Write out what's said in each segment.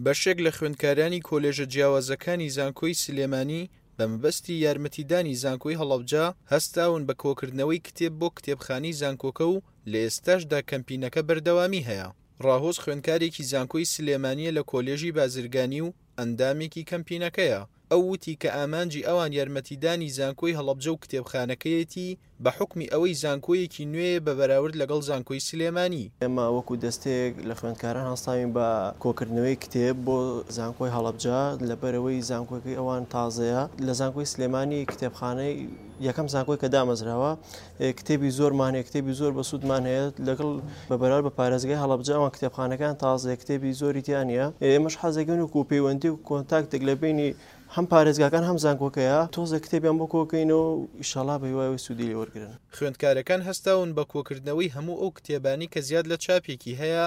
بەشێک لە خوێندکارانی کۆلێژە جیاوازەکانی زانکۆی سلێمانی بە مەبەستی یارمەتیدانی زانکۆی هەڵەبجە هەستاون بە کۆکردنەوەی کتێب بۆ کتێبخانەی زانکۆکە و لە ئێستاشدا کەمپینەکە بەردەوامی هەیە. ڕاهۆز خوێندکارێکی زانکۆی سلێمانییە لە کۆلێژی بازرگانی و ئەندامێکی کەمپینەکەیە. ئەو وتی کە ئامانجی ئەوان یارمەتیدانی زانکۆی هەڵەبجە و کتێبخانەکەیەتی بە حوکمی ئەوەی زانکۆیەکی نوێیە بە بەراورد لەگەڵ زانکۆی سلێمانی. ئێمە وەکو دەستەیەک لە خوێندکاران هەستاوین بە کۆکردنەوەی کتێب بۆ زانکۆی هەڵەبجە، لەبەرئەوەی زانکۆکەی ئەوان تازەیە، لە زانکۆی سلێمانی کتێبخانەی یەکەم زانکۆی کە دامەزراوە کتێبی زۆرمان هەیە، کتێبی زۆر بەسوودمان هەیە، لەگەڵ بە بەراورد بە پارێزگای هەڵەبجە ئەوان کتێبخانەکان تازەیە کتێبی زۆری تیا نییە، ئێمەش حەزەکەین وەکو پەیوەندی و کۆنتاکتێک لە بەینی هەم پارێزگاکان هەم زانکۆکەیە تۆزێک کتێبیان بۆ کۆکەینەوە و ئیشەڵا بە هیوای ئەوەی سوودی لێ وەرگرن. خوێندکارەکان هەستاون بە کۆکردنەوەی هەموو ئەو کتێبانەی کە زیاد لە چاپێکی هەیە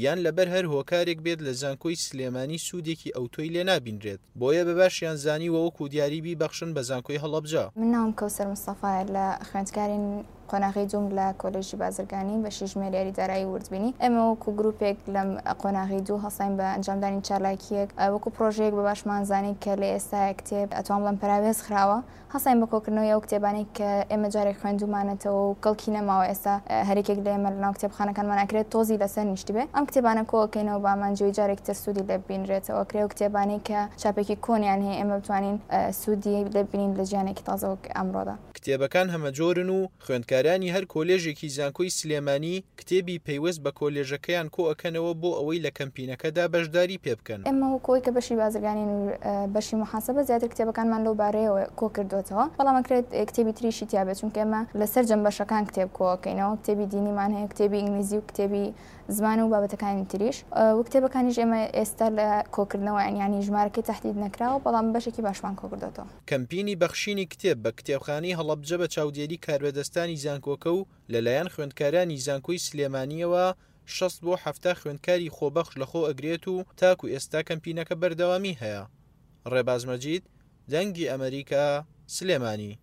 یان لەبەر هەر هۆکارێک بێت لە زانکۆی سلێمانی سوودێکی ئەوتۆی لێ نابینرێت، بۆیە بە باشیان زانیوە وەکو دیاری بیبەخشن بە زانکۆی هەڵەبجە. من ناوم کەوسەر مستەفایە لە خوێندکارین قۆناغی دووم لە کۆلێژی بازرگانی بەشی ژمێریاری دارایی و وردبینی. ئێمە وەکو گروپێک لەم قۆناغی دوو هەڵساین بە ئەنجامدانی چالاکییەک وەکو پڕۆژەیەک بە باشمان زانی کە لە ئێستایا کتێب ئەتوان بڵێم پەراوێز خراوە هەڵساین بە کۆکردنەوەی ئەو کتێبانەی کە ئێمە جارێک خوێندوومانەتەوە و کەڵکی نەماوە ئێستا هەریەکێک لە ئێمە لەناو کتێبخانەکانمان ئەکرێت تۆزی لەسەر نیشتبێ ئەم کتێبانە کۆئەکەینەوە بە ئامانجی ئەوەی جارێکی تر سوودی لێ ببینرێتەوە ئەکرێ ئەو کتێبانەی کە چاپێکی کۆنیان هەیە ئێمە بتوانین سوودی لێ ببینین لە ژیانێکی تازە وەک ئەمڕۆدا. کتێبەکان هەمەجۆرن و خوێندکارانی هەر کۆلێژێکی زانکۆی سلێمانی کتێبی پەیوەست بە کۆلێژەکەیان کۆئەکەنەوە بۆ ئەوەی لە کەمپینەکەدا بەشداری پێبکەن. ئێمە وەکو ئەوەی کە بەشی بازرگانین و بەشی موحاسەبە زیاتر کتێبەکانمان لەو بارەیەوە کۆکردۆتەوە، بەڵام ئەکرێت کتێبی تریشی تیابێت چونکە ئێمە لە سەرجەم بەشەکان کتێب کۆئەکەینەوە، کتێبی دینیمان هەیە، کتێبی ئینگلیزی و کتێبی زمان و بابەتەکانی تریش و کتێبەکانیش ئێمە ئێستا لە کۆکردنەوەیان یانی ژمارەکەی تەحدید نەکراوە بەڵام بەشێکی باشمان کۆکردۆتەوە. کەمپینی بەخشینی کتێب بە کتێبخانەی هەڵەبجە بە چاودێری کاربەدەستانی زانکۆکە و لەلایەن خوێندکارانی زانکۆی سلێمانییەوە 60 بۆ 70 خوێندکاری خۆبەخش لەخۆ ئەگرێت و تاکو ئێستا کەمپینەکە بەردەوامی هەیە. ڕێباز مەجید، دەنگی ئەمەریکا، سلێمانی.